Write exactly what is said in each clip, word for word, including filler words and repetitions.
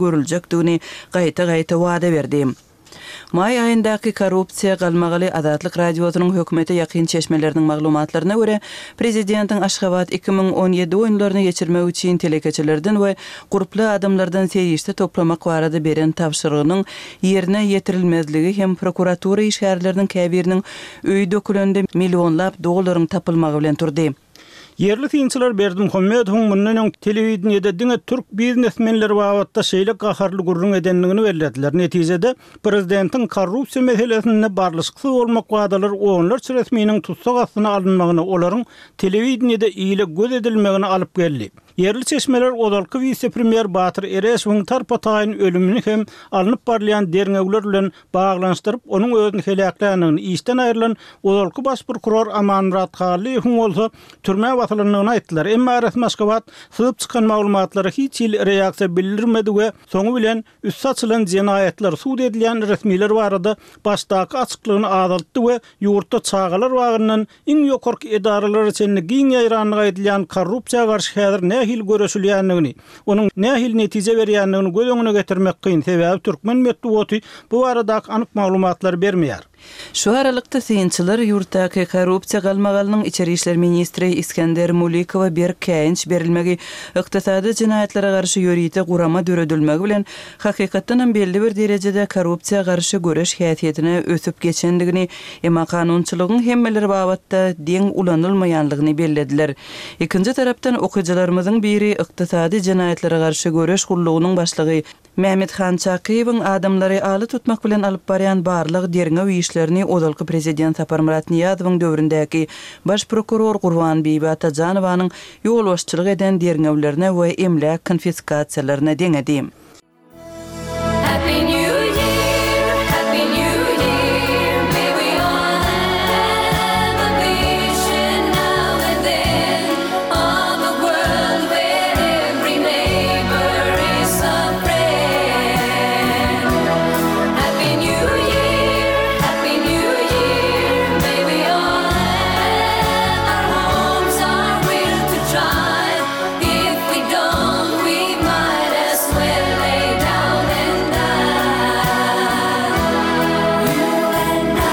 Görüljekdigini gaýta-gaýta wada berdi. Maý aýyndaky korrupsiýa galmagaly Azatlyk Radiosynyň hökümete ýakyn çeşmeleriniň maglumatlaryna görä, prezidentiň Aşgabat iki müň on ýedi oýunlaryny geçirmek üçin telekeçilerden we gurply adamlardan serişde toplamak barada beren tabşyrygynyň ýerine ýetirilmezligi hem prokuratura işgärleriniň käbiriniň öýi dökülende millionlap dollaryň tapylmagy bilen turdy. Ýerli synçylar Berdimuhamedowyň mundan öň telewideniýede diňe türk biznesmenleri babatda şeýle gaharly gürrüň edendigini bellediler. Netijede, prezidentiň korrupsiýa meselesinde barlyşyksyz bolmak wadalary onlarça resminiň tussag astyna alynmagyna, olaryň telewideniýede ile göz edilmegine alyp geldi. Ýerli çeşmeler ozalky wise-premýer Batyr Ereşowyň tarpa-taýyn ölümini hem alnyp barylýan derňewler bilen baglanyşdyryp, onuň özüni heläkländigini, işden aýrylan ozalky baş prokuror Amanmyrat Hallyýewiň bolsa türmä basylandygyny aýtdylar. Emma resmi Aşgabat syzyp çykan maglumatlara hiç hili reaksiýa bildirmedi we soňy bilen üsti açylan jenaýatlar, sud edilýän resmiler barada başdaky açyklygyny azaltdy we ýurtda çagalar bagyndan iň ýokarky edaralara çenli giň ýaýrandygy aýdylýan korrupsiýa garşy häzir nähili göreşilýändigini, onuň nähili netije berýändigini göz öňüne getirmek kyn, sebäbi türkmen metbugaty bu baradaky anyk maglumatlary bermeýär. Şu aralykda, synçylar ýurtdaky korrupsiýa galmagalynyň içeri işler ministri Isgender Mulikowa berk käýinç berilmegi, ykdysady jenaýatlara garşy ýörite gurama döredilmegi bilen, hakykatdanam belli bir derejede korrupsiýa garşy göreş häsiýetine ösüp geçendigini, emma kanunçylygyň hemmeler babatda deň ulanylmaýanlygyny bellediler. Ikinji tarapdan, okyjylarymyzyň biri ykdysady jenaýatlara garşy göreş gullugynyň başlygy Mämmethan Çakyýewiň adamlary ala tutmak bilen alyp barýan barlag-derňew işlerini ozalky prezident Saparmyrat Nyýazowyň döwründäki baş prokuror Gurbanbibi Atajanowanyň ýolbaşçylyk eden derňewlerine we emläk konfiskasiýalaryna deňedi. Happy New Year, Happy New Year, may we all have a vision now and then of a world where every neighbor is a friend. Happy New Year, Happy New Year, may we all have our homes, our will to try. If we don't, we might as well lay down and die. You and I.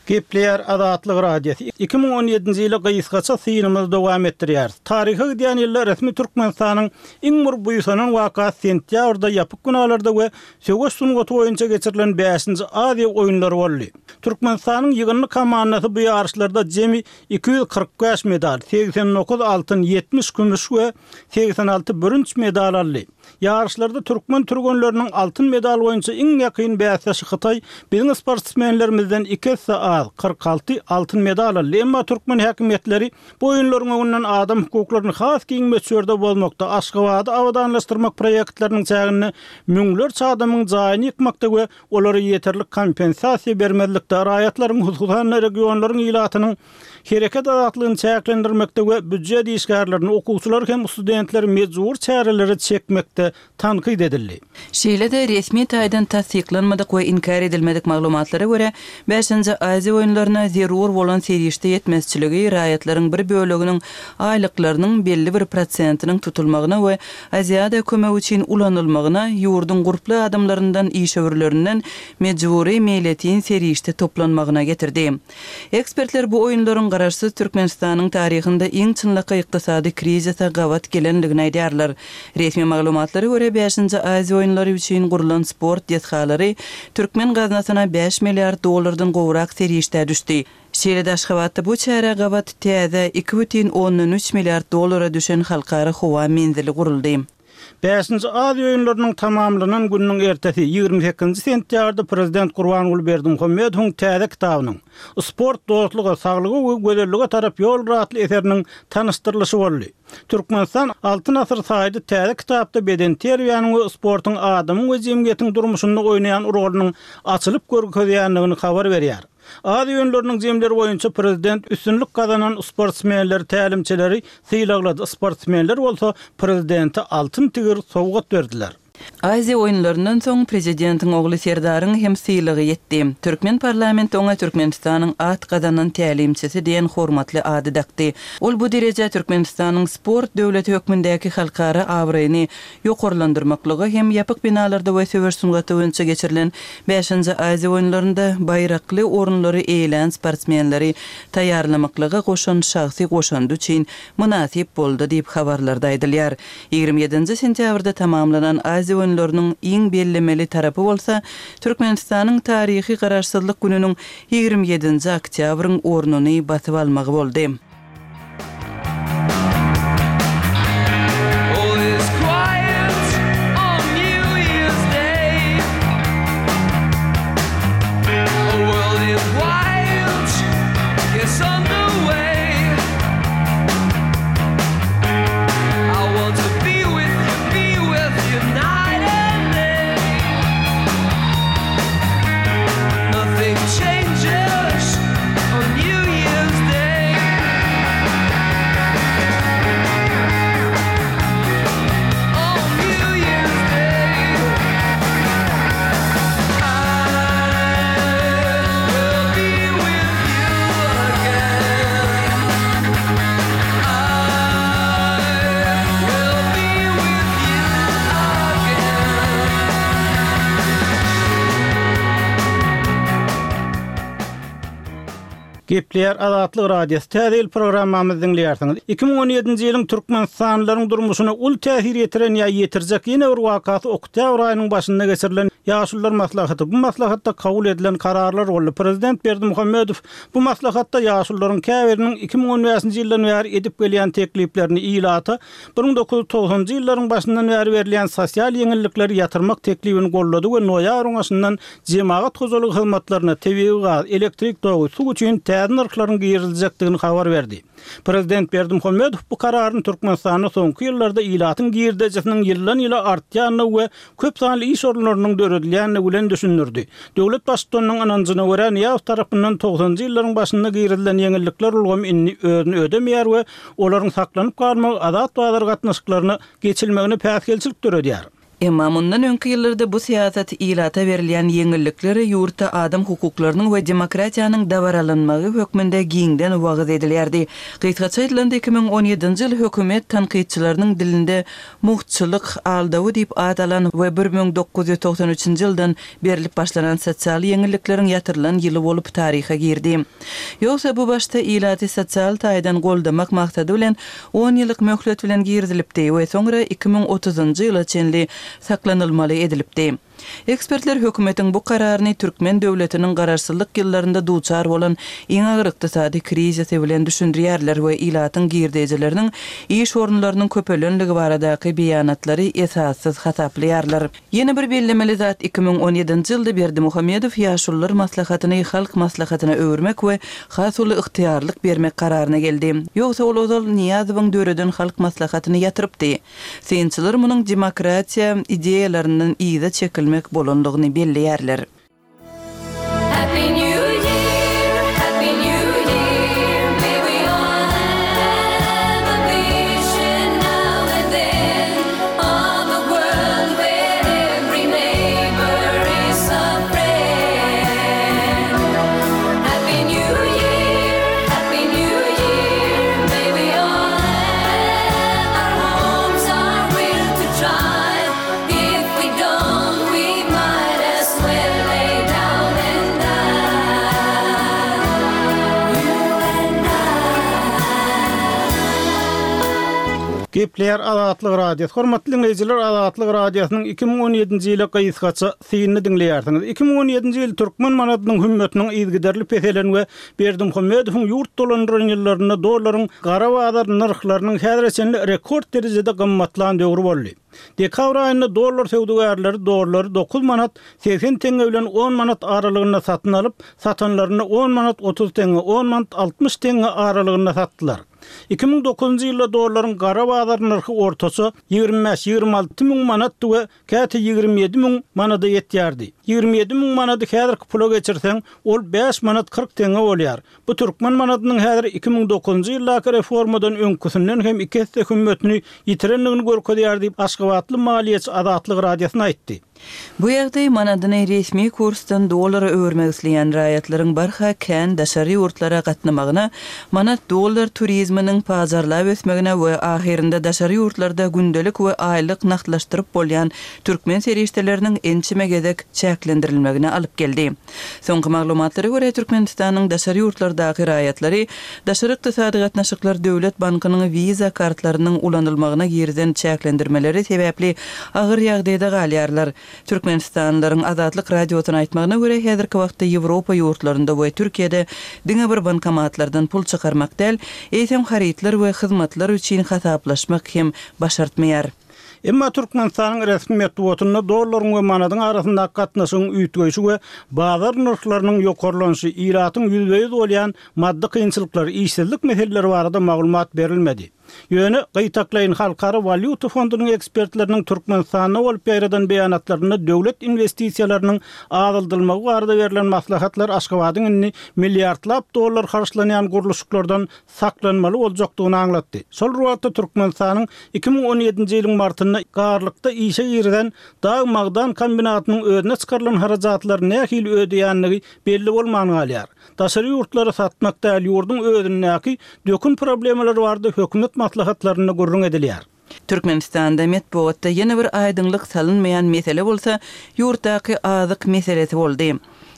Gepleýär Azatlyk Radiosy. Iki müň on ýedinji ýyla gysgaça synymyzy dowam etdirýäris. Taryha gidýän ýylda resmi Türkmenistanyň iň bir buýsanan wakasy sentýabrda ýapyk binalarda we söweş sungaty boýunça geçirilen bäşinji Aziýa oýunlary boldy. Türkmenistanyň ýygyndy komandasy bu ýaryşlarda jemi iki ýüz kyrk bäş medal, segsen dokuz altyn, ýetmiş kümüş we segsen alty bürünç medal aldy. Ýaryşlarda türkmen türgenleriniň altyn medal boýunça iň ýakyn bäsdeşi Hytaý biziň sportsmenlerimizden iki esse az, kyrk alty altyn medal aldy. Emma türkmen häkimiýetleri bu oýunlaryň öňünden adam hukuklaryny has giň möçberde bozmakda, Aşgabady abadanlaşdyrmak proýektleriniň çäginde müňlerçe adamyň jaýyny ýykmakda we olara ýeterlik kompensasiýa bermezlikde, raýatlaryň, hususan-da regionlaryň ilatynyň hereket azatlygyny çäklendirmekde we býujet işgärlerini, okuwçylary hem studentleri mejbur çärelere çekmekde tankyt edildi. Şeýle-de, resmi taýdan tassyklanmadyk we inkär edilmedik maglumatlara görä, bäşinji Aziýa oýunlaryna zerur bolan serişde ýetmezçiligi raýatlaryň bir böleginiň aýlyklarynyň belli bir prosentiniň tutulmagyna we Aziada kömegi üçin ulanylmagyna, ýurduň gurply adamlaryndan, işewürlerinden mejbury meýletin serişde toplanmagyna getirdi. Ekspertler bu oýunlaryň Garaşsyz Türkmenistanyň taryhynda iň çynlakaý ykdysady krizise gabat gelendigini aýdýarlar. Resmi maglumatlara görä, bäşinji Aziýa oýunlary üçin gurlan sport desgalary türkmen gaznasyna bäş milliard dollardan gowrak serişdä düşdi. Şeýle-de Aşgabatda bu çärä gabat täze iki bütin ondan üç milliard dollara düşen halkara howa menzili guruldy. Bäşinji Aziýa oýunlarynyň tamamlanan gününiň ertesi, ýigrimi sekizinji sentýabrda prezident Gurbanguly Berdimuhamedowyň täze kitabynyň, Sport dostluga, saglyga we gözellige tarap ýoldur atly eseriniň tanyşdyrylyşy boldy. Türkmenistan Altyn asyr saýdy täze kitapda bedenterbiýäniň we sportuň adamyň we jemgyýetiň durmuşynda oýnaýan rolunyň açylyp görkezýändigini habar berýär. Aziýa oýunlarynyň jemleri boýunça prezident üstünlik gazanan sportsmenleri, tälimçileri sylaglady, sportsmenler bolsa prezidente altyn tigir sowgat berdiler. Aziýa oýunlaryndan soň prezidentiň ogly Serdaryň hem sylagy ýetdi. Türkmen parlamenti oňa Türkmenistanyň at gazanan tälimçisi diýen hormatly ady dakdy. Ol bu derejä Türkmenistanyň sport döwleti hökmündäki halkara abraýyny ýokarlandyrmaklyga hem ýapyk binalarda we söweş sungaty boýunça geçirilen bäşinji Aziýa oýunlarynda baýrakly orunlary eýelän sportsmenleri taýýarlamaklyga goşan şahsy goşandy üçin mynasyp boldy diýip habarlarda aýdylýar. Ýigrimi ýedinji sentýabrda tamamlanan Aziýa oýunlarynyň iň bellemeli tarapy bolsa Türkmenistanyň taryhy Garaşsyzlyk gününiň ýigrimi ýedinji oktýabryň ornuny basyp almagy boldy. All is quiet on New Year's Day. A world is wild, gets underway. I want to be with you, be with you night and day. Nothing changes on New Year's Day. On New Year's Day, I will be with you again. I will be with you again. Gepleýär Azatlyk Radiosy. Täze ýyl programmamyzy diňleýärsiňiz. Iki müň on ýedinji ýylyň Türkmenistanlylaryň durmuşyna uly täsir ýetiren ýa ýetirjek ýene bir wakasy oktýabr aýynyň başynda geçirilen Ýaşulular maslahaty. Bu maslahatda kabul edilen kararlar boldy. Prezident Berdimuhamedow bu maslahatda ýaşulularyň käbiriniň iki müň on bäşinji ýyldan bäri edip gelýän tekliplerini ilata bir müň dokuz ýüz togsanjy ýyllaryň başyndan bäri berilýän sosial ýeňillikleri ýatyrmak teklibini gollady we noýabryň başyndan jemagat hojalygy hyzmatlaryna tebigy gaz, elektrik togy, suw üçin täze nyrhlaryň giriziljekdigini habar berdi. Prezident Berdimuhamedow bu kararyny Türkmenistanda soňky ýyllarda ilatyň girdejisiniň ýyldan ýyla artýandygy we köp sanly iş orunlarynyň döredilýändigi bilen düşündirdi. Döwlet baştutanynyň ynanjyna görä Nyýazow tarapyndan togsanjy ýyllaryň başynda girizilen ýeňillikler ulgamy indi özüni ödemeýär we olaryň saklanyp galmagy azat bazar gatnaşyklaryna geçilmegine päsgelçilik döredýär. Emma mundan öňki ýyllarda bu syýasat ilata berilýän ýeňillikleri ýurtda adam hukuklarynyň we demokratiýanyň dabaralanmagy hökmünde giňden wagyz edilýärdi. Gysgaça aýdylanda iki müň on ýedinji ýyl hökümet tankytçylarynyň dilinde muhtçylyk aldawy diýip at alan we bir müň dokuz ýüz togsan üçünji ýyldan berilip başlanan sosial ýeňillikleriň ýatyrylan ýyly bolup taryha girdi. Ýogsa bu başda ilaty sosial taýdan goldamak maksady bilen on ýyllyk möhlet bilen girizilipdi we soňra iki müň otuzynjy ýyla çenli saklanylmaly edilipdi. Ekspertler hökümetiň bu kararyny Türkmen döwletiniň garaşsyzlyk ýyllarynda duçar bolan iň agyr ykdysady krizisi bilen düşündirýärler we ilatyň girdejileriniň iş orunlarynyň köpelenligi baradaky beýanatlary esassyz hasaplaýarlar. Ýene bir bellemeli zat iki müň on ýedinji ýylda Berdimuhamedow Ýaşulular maslahatyny halk maslahatyna öwürmek we has uly ygtyýarlyk bermek kararyna geldi. Ýogsa ol ozal Nyýazowyň döreden halk maslahatyny ýatyrypdy. Synçylar munuň demokratiýa ideýalaryndan yza çekilmek bolandygyny belleýärler. Happy New Year, Happy New Year. May we all have a vision now and then of a world where every neighbor is a friend. Happy New Year, Happy New Year. May we all have our homes, our will to try. If we don't, we might as well lay down and die. You and I. Gepleýär Azatlyk Radiosy. Hormatly dinleýjiler, Azatlyk Radiosynyň iki müň on ýedinji ýyly gysgaça synyny diňleýärsiňiz. Iki müň on ýedinji ýyl Türkmen manadynyň hümmetiniň yzygiderli peselen we Berdimuhamedowyň ýurt dolandyran ýyllarynda dollaryň gara bazar nyrhlarynyň häzire çenli rekord derejede gymmatlan döwri boldy. Dekabr aýynda dollar söwdagärleri dollary dokuz manat seksen tenge bilen on manat aralygynda satyn alyp, satanlaryny on manat otuz tenge, on manat altmyş tenge aralygynda satdylar. Iki müň dokuzynjy ýylda dollaryň gara bazar nyrhy ortaça ýigrimi bäş, ýigrimi alty müň manatdy we käte ýigrimi ýedi müň manada ýetýärdi. Ýigrimi ýedi müň manady häzirki pula geçirseň, ol bäş manat kyrk teňňe bolýar. Bu türkmen manadynyň häzir iki müň dokuzynjy ýyldaky reformadan öňküsinden hem iki esse hümmetini ýitirendigini görkezýär diýip, Aşgabatly maliýeçi Azatlyk Radiosyna aýtdy. Bu ýagdaý manadyny resmi kursdan dollara öwürmek isleýän raýatlaryň barha kän daşary ýurtlara gatnamagyna, manat dollar turizminiň pajarlap ösmegine we ahyrynda daşary ýurtlarda gündelik we aýlyk nagtlaşdyryp bolýan türkmen serişdeleriniň ençeme gezek çäklendirilmegine alyp geldi. Soňky maglumatlara görä, Türkmenistanyň daşary ýurtlardaky raýatlary Daşary ykdysady gatnaşyklar döwlet bankynyň Visa kartlarynyň ulanylmagyna girizen çäklendirmeleri sebäpli agyr ýagdaýda galýarlar. Türkmenistanlylaryň Azatlyk Radiosyna aýtmagyna görä, häzirki wagtda Ýewropa ýurtlarynda we Türkiýede diňe bir bankomatlardan pul çykarmak däl, eýsem harytlar we hyzmatlar üçin hasaplaşmak hem başartmaýar. Emma Türkmenistanyň resmi metbugatynda dollaryň we manadyň arasyndaky gatnaşygyň üýtgeýşi we bazar nyrhlarynyň ýokarlanyşy, ilatyň ýüzbe-ýüz bolýan maddy kynçylyklary, işsizlik meseleleri barada maglumat berilmedi. Ýöne gytaklaýyn Halkara walýuta fondunyň ekspertleriniň Türkmenistanda bolup ýaýradan beýanatlarynda döwlet inwestisiýalarynyň azaldylmagy barada berlen maslahatlar Aşgabadyň indi milliardlap dollar harçlanýan gurluşyklardan saklanmaly boljakdygyny aňlatdy. Şol bir wagtda Türkmenistanyň iki müň on ýedinji ýylyň martynda Garlykda işe girizen dag magdan kombinatynyň özüne çykarylan harajatlary nähili ödeýändigi belli bolman galýar. Daşary ýurtlara satmak däl, ýurduň özündäki dökün problemalary barada hökümet maslahatlarynda gürrüň edilýär. Türkmenistanda metbugatda ýene bir aýdyňlyk salynmaýan mesele bolsa, ýurtdaky azyk meselesi boldy.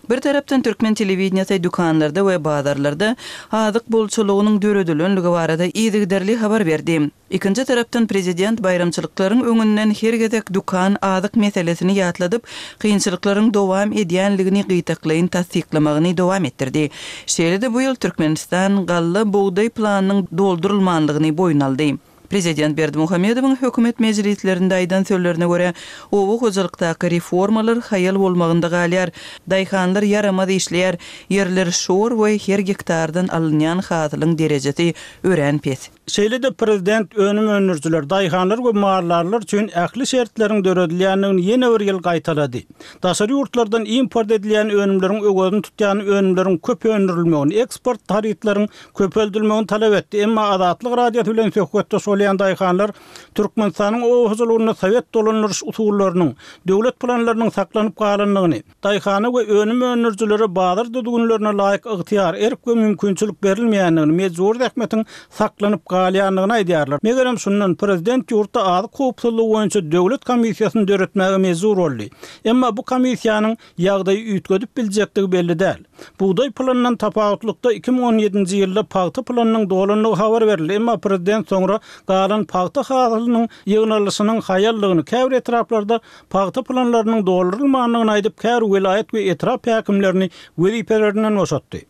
Bir tarapdan türkmen telewideniýesi dükanlarda we bazarlarda azyk bolçulygynyň döredilenligi barada yzygiderli habar berdi. Ikinji tarapdan prezident baýramçylyklaryň öňünden her gezek dükan azyk meselesini ýatladyp, kynçylyklaryň dowam edýänligini gytaklaýyn tassyklamagyny dowam etdirdi. Şeýle-de bu ýyl Türkmenistan galla bugdaý planynyň doldurylmanlygyny boýun aldy. Prezident Berdimuhamedowyň hökümet mejlislerinde aýdan sözlerine görä, oba hojalykdaky reformalar haýal bolmagynda galýar. Daýhanlar ýaramaz işleýär, ýerler şor we her gektardan alynýan hasylyň derejesi örän pes. Şeýle-de prezident önüm öndürijiler, daýhanlar we maldarlar üçin ähli şertleriň döredilýändigini ýene bir ýyl gaýtalady. Daşary ýurtlardan import edilýän önümleriň öwezini tutýan önümleriň köp öndürilmegini, eksport harytlaryň köpeldilmegini talap etdi. Emma Azatlyk Radiosy bilen söhbetdeş bolýan daýhanlar Türkmenistanyň oba hojalygynda sowet dolandyryş usullarynyň, döwlet planlarynyň saklanyp galandygyny, daýhana we önüm öndürijilere bazar düzgünlerine laýyk ygtyýar, erk we mümkinçilik berilmeýändigini, mejbur zähmetiň saklanyp galýandygyny aýdýarlar. Megerem şundan prezident ýurtda azyk howpsuzlygy boýunça döwlet komissiýasyny döretmäge mejbur boldy. Emma bu komissiýanyň ýagdaýy üýtgedip biljekdigi belli däl. Bugdaý planyndan tapawutlykda iki müň on ýedinji ýylda pagta planynyň dolandygy habar berildi. Emma prezident soňra galan pagta hasylynyň ýygnalyşynyň haýallygyny, käbir etraplarda pagta planlarynyň doldurylmandygyny aýdyp, käbir welaýat we etrap häkimlerini wezipelerinden boşatdy.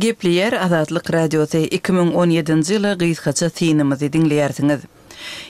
Gepleýär Azatlyk Radiosy iki müň on ýedinji ýyla gysgaça synymyzy diňleýärsiňiz.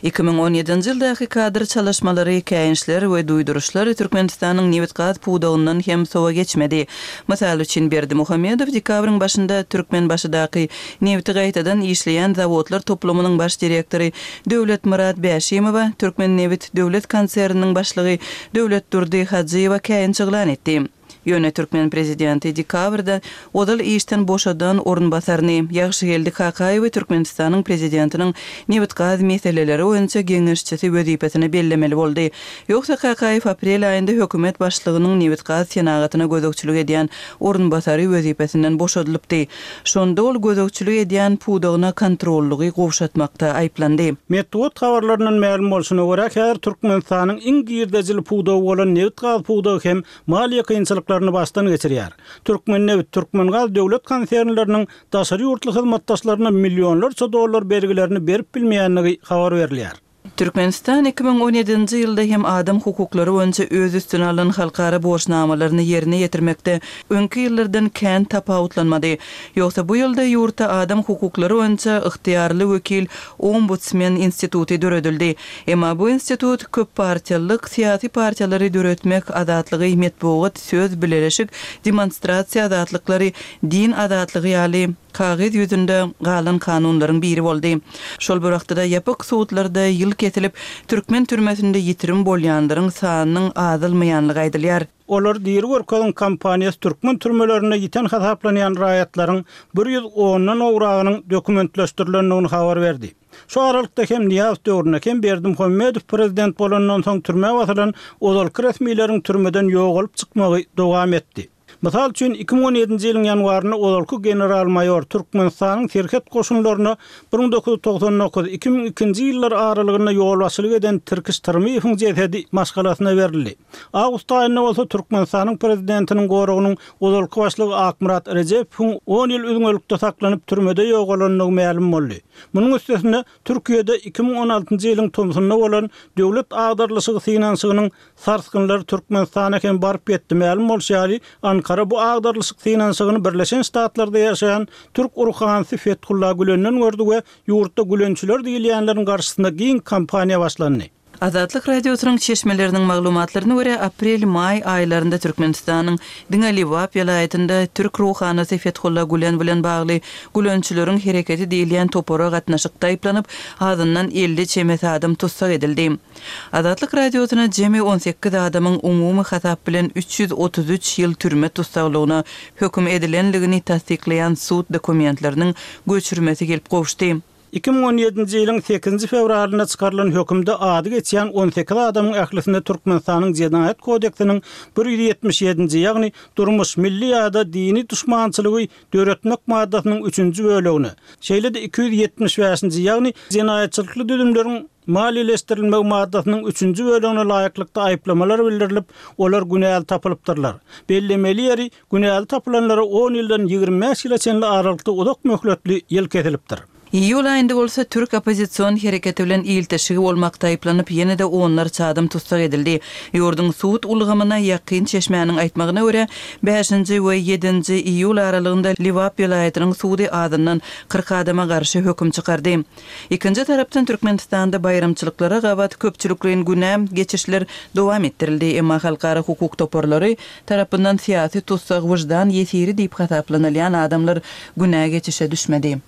Iki müň on ýedinji ýyldaky kadr çalyşmalary, käýinçler we duýduryşlar Türkmenistanyň nebit-gaz pudagyndan hem sowa geçmedi. Mysal üçin, Berdimuhamedow dekabryň başynda Türkmenbaşydaky nebiti gaýtadan işleýän zawodlar toplumynyň baş direktory Döwletmyrat Bäşimowa, Türkmennebit döwlet konserniniň başlygy Döwletdurdy Hajyýewa käýinç yglan etdi. Ýöne türkmen prezidenti dekabrda ozal işden boşadan orunbasaryny, Ýagşygeldi Kakaýewi Türkmenistanyň prezidentiniň nebit-gaz meseleleri boýunça geňeşçisi wezipesine bellemeli boldy. Ýogsa Kakaýew aprel aýynda hökümet başlygynyň nebit-gaz senagatyna gözegçilik edýän orunbasary wezipesinden boşadylypdy. Şonda ol gözegçilik edýän pudagyna kontrollygy gowşatmakda aýyplandy. Metbugat habarlaryndan mälim bolşuna görä, häzir Türkmenistanyň iň girdejili pudagy bolan nebit-gaz pudagy hem maliýe kynçylyklaryny başdan geçirýär. Türkmennebit, Türkmengaz döwlet konsernleriniň daşary ýurtly hyzmatdaşlaryna millionlarça dollar bergilerini berip bilmeýändigi habar berilýär. Türkmenistan iki müň on ýedinji ýylda hem adam hukuklary boýunça öz üstüne alan halkara borçnamalaryny ýerine ýetirmekde öňki ýyllardan kän tapawutlanmady. Ýogsa bu ýylda ýurtda adam hukuklary boýunça ygtyýarly wekil Ombudsmen instituty döredildi. Emma bu institut köp partiýalyk syýasy partiýalary döretmek azatlygy, metbugat, söz bileleşik, demonstrasiýa azatlyklary, din azatlygy ýaly kagyz ýüzünde galan kanunlaryň biri boldy. Şol bir wagtda ýapyk sudlarda ýyl kesilip, türkmen türmesinde ýitirim bolýanlaryň sanynyň azalmaýanlygy aýdylýar. Olar diri görkeziň kampaniýasy türkmen türmelerinde ýiten hasaplanýan raýatlaryň bir ýüz ondan gowragynyň dokumentleşdirilendigini habar berdi. Şu aralykda hem Nyýazow döwründe hem Berdimuhamedow prezident bolandan soň türmä basylan ozalky resmileriň türmeden ýogalyp çykmagy dowam etdi. Mysal üçin, iki müň on ýedinji ýylyň ýanwarynda ozalky general-maýor Türkmenistanyň serhet goşunlaryna bir müň dokuz ýüz togsan dokuz, iki müň ikinji ýyllar aralygynda ýolbaşçylyk eden Tirkiş Tyrmyýewiň jesedi maşgalasyna berildi. Awgust aýynda bolsa Türkmenistanyň prezidentiniň goragynyň ozalky başlygy Akmyrat Rejepowyň on ýyl üzňelikde saklanyp türmede ýogalandygy mälim boldy. Munuň üstesine Türkiýede iki müň on altynjy ýylyň tomsunda bolan döwlet agdarlyşygy synanyşygynyň sarsgynlary Türkmenistana hem baryp ýetdi. Mälim bolşy ýaly, Ankara bu agdarlyşyk synanyşygyny Birleşen Ştatlarda ýaşaýan türk ruhanysy Fethullah Gülenden gördi we ýurtda gülençiler diýilýänleriň garşysynda giň kampaniýa başlandy. Azatlyk Radiosynyň çeşmeleriniň maglumatlaryna görä, aprel-maý aýlarynda Türkmenistanyň diňe Lebap welaýatynda türk ruhanysy Fethullah Gülen bilen bagly gülençileriň hereketi diýilýän topara gatnaşykda aýyplanyp, azyndan elli çemesi adam tussag edildi. Azatlyk Radiosyna jemi on sekiz adamyň umumy hasap bilen üç ýüz otuz üç ýyl türme tussaglygyna höküm edilenligini tassyklaýan sud dokumentleriniň göçürmesi gelip gowuşdy. Iki müň on ýedinji ýylyň sekizinji fewralynda çykarylan hökümde ady geçýän on sekiz adamyň ählisinde Türkmenistanyň Jenaýat kodeksiniň bir ýüz ýetmiş ýedinji, ýagny durmuş, milli ýa-da dini duşmançylygy döretmek maddasynyň üçünji bölegine, şeýle-de iki ýüz ýetmiş bäşinji, ýagny jenaýatçylykly düzümleriň maliýeleşdirilmegi maddasynyň üçünji bölegine laýyklykda aýyplamalar bildirilip, olar günäli tapylypdyrlar. Bellemeli ýeri, günäli tapylanlara on ýyldan ýigrimi bäş ýyla çenli aralykda uzak möhletli ýyl kesilipdir. Iýul aýynda bolsa türk oppozision hereketi bilen ilteşigi bolmakda aýyplanyp, ýene-de onlarça adam tussag edildi. Ýurduň sud ulgamyna ýakyn çeşmäniň aýtmagyna görä, bäşinji we ýedinji iýul aralygynda Lebap welaýatynyň sudy azyndan kyrk adama garşy höküm çykardy. Ikinji tarapdan Türkmenistanda baýramçylyklara gabat köpçülikleýin günä geçişler dowam etdirildi. Emma halkara hukuk toparlary tarapyndan syýasy tussag wyždan ýesiri diýip hasaplanylýan adamlar günä geçişe düşmedi.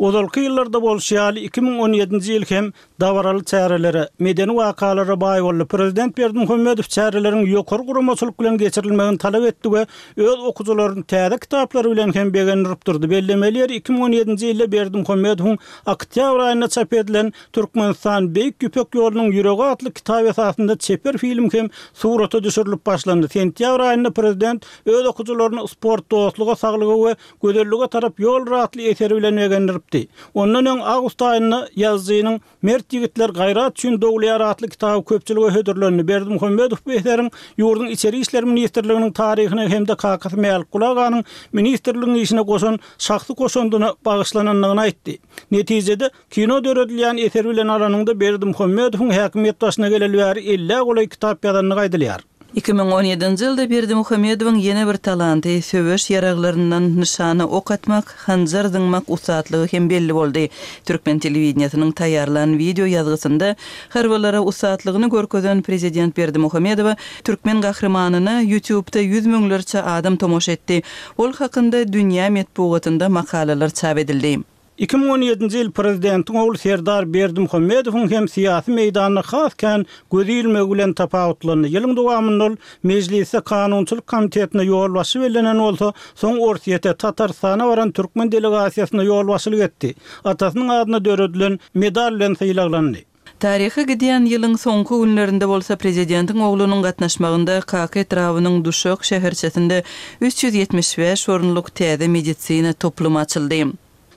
Ozalky ýyllarda bolşy ýaly iki müň on ýedinji ýyl hem dabaraly çärelere, medeni wakalara baý boldy. Prezident Berdimuhamedow çäreleriň ýokary guramaçylyk bilen geçirilmegini talap etdi we öz okuwçylaryny täze kitaplary bilen hem begendirip durdy. Bellemeli ýeri iki müň on ýedinji ýylda Berdimuhamedowyň oktýabr aýynda çap edilen Türkmenistan Beýik Ýüpek ýolunyň ýüregi atly kitap esasynda çeper film hem surata düşürilip başlandy. Sentýabr aýynda prezident öz okuwçylaryny sport, dostluga, saglyga we gözellige tarap ýol atly eseri bilen begendiripdi. Ondan öň awgust aýynda ýazyjynyň Mert ýigitler gaýrat üçin dogulýar atly kitaby köpçülige hödürlendi. Berdimuhamedow bu eseriň ýurduň Içeri işler ministrliginiň taryhyna hem-de kakasy Mälikguly aganyň ministrligiň işine goşan şahsy goşandyna bagyşlanandygyny aýtdy. Netijede kino döredilýän eser bilen alanyňda Berdimuhamedowyň häkimiýet başyna geleli bäri ellä golaý kitap ýazandygy aýdylýar. Iki müň on ýedinji ýylda Berdimuhamedowyň ýene bir talanty, söweş ýaraglaryndan nyşana ok atmak, hanjar zyňmak ussatlygy hem belli boldy. Türkmen telewideniýesiniň taýýarlan wideo ýazgysynda harbylara ussatlygyny görkezen prezident Berdimuhamedowa türkmen gahrymanyna YouTube-da ýüz müňlerçe adam tomaşa etdi. Ol hakynda dünýä metbugatynda makalalar çap edildi. Iki müň on ýedinji ýyl prezidentiň ogly Serdar Berdimuhamedowyň hem syýasy meýdanyna has kän göz ilmegi bilen tapawutlandy. Ýylyň dowamynda ol Mejlisde Kanunçylyk komitetine ýolbaşçy bellenen bolsa, soň Orsýete, Tatarystana baran türkmen delegasiýasyna ýolbaşçylyk etdi. Atasynyň adyna döredilen medal bilen sylaglandy. Taryhy gidýän ýylyň soňky günlerinde bolsa prezidentiň oglunyň gatnaşmagynda Kaka etrabynyň Duşak şäherçesinde üç ýüz ýetmiş bäş orunlyk täze medisina toplumy açyldy.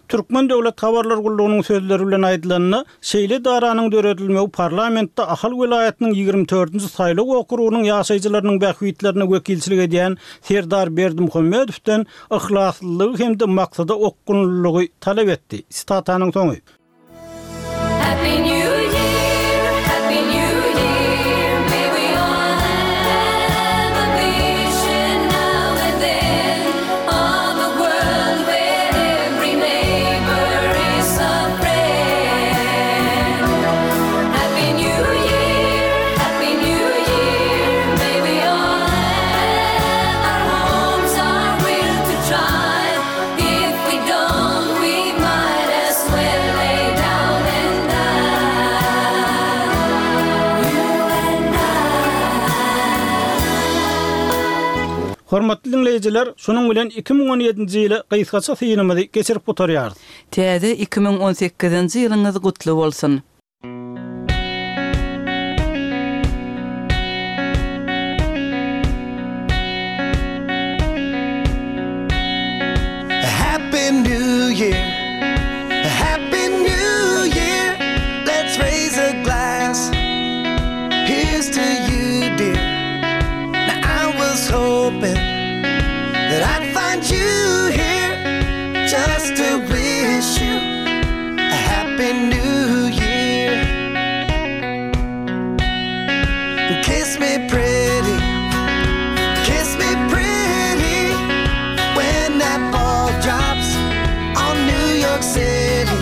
Türkmen Döwlet Habarlar Gullugynyň sözleri bilen aýdylanda, şeýle daranyň döredilmegi parlamentde Ahal welaýatynyň ýigrimi dördünji saýlaw okrugynyň ýaşaýjylarynyň bähbitlerine wekilçilik edýän Serdar Berdimuhamedowdan yhlaslylygy hem-de maksada okgunlylygy talap etdi. Sitatanyň soňy. Happy New Year, Happy New Year, may we all have a vision now and then of a world where every neighbor is a friend. Happy New Year, Happy New Year, may we all have our homes, our will to try. If we don't, we might as well lay down and die. You and I. Hormatly dinleýjiler, şunuň bilen iki müň on ýedinji ýyly gysgaça synymyzy geçirip gutarýarys. Täze iki müň on sekizinji ýylyňyz gutly bolsun. Happy New Year, Happy New Year. Let's raise a glass. Here's to you, dear. Now I was hoping that I'd find you here just to wish you a happy new year. Kiss me pretty, kiss me pretty when that ball drops on New York City.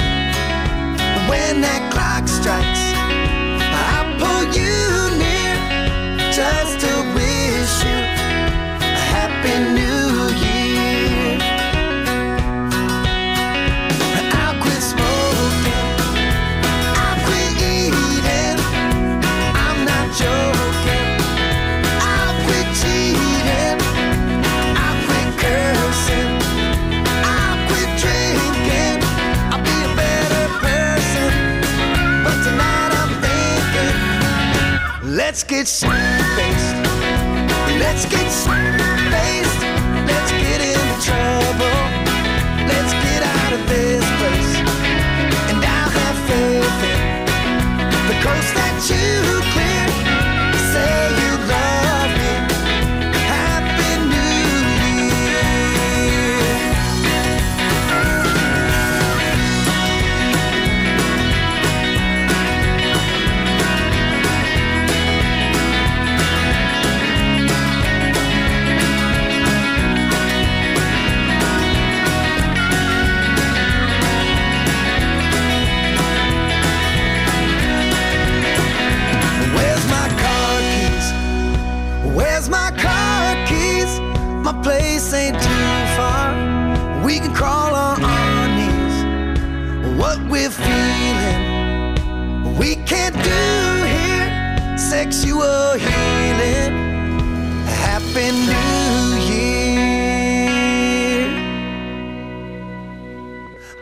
When that clock strikes, I'll pull you near just to wish you a happy new year. I'll quit smoking, I'll quit eating, I'm not joking. I'll quit cheating, I'll quit cursing, I'll quit drinking, I'll be a better person. But tonight I'm thinking, let's get faced, let's get faced, let's get into trouble, let's get out of this place. And I'll have faith in the coast that you clear. Say you love me. Happy New Year. Where's my car keys? Where's my car keys? My place ain't too far. We can crawl on our knees. What we're feeling, we can't do here. Sexual healing. Happy New Year.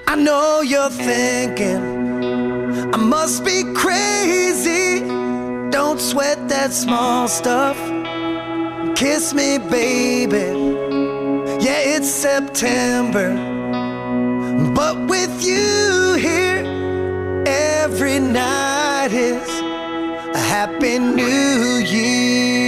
I know you're thinking I must be crazy. Don't sweat that small stuff. Kiss me, baby. Yeah, it's September, but with you here, every night is a happy new year.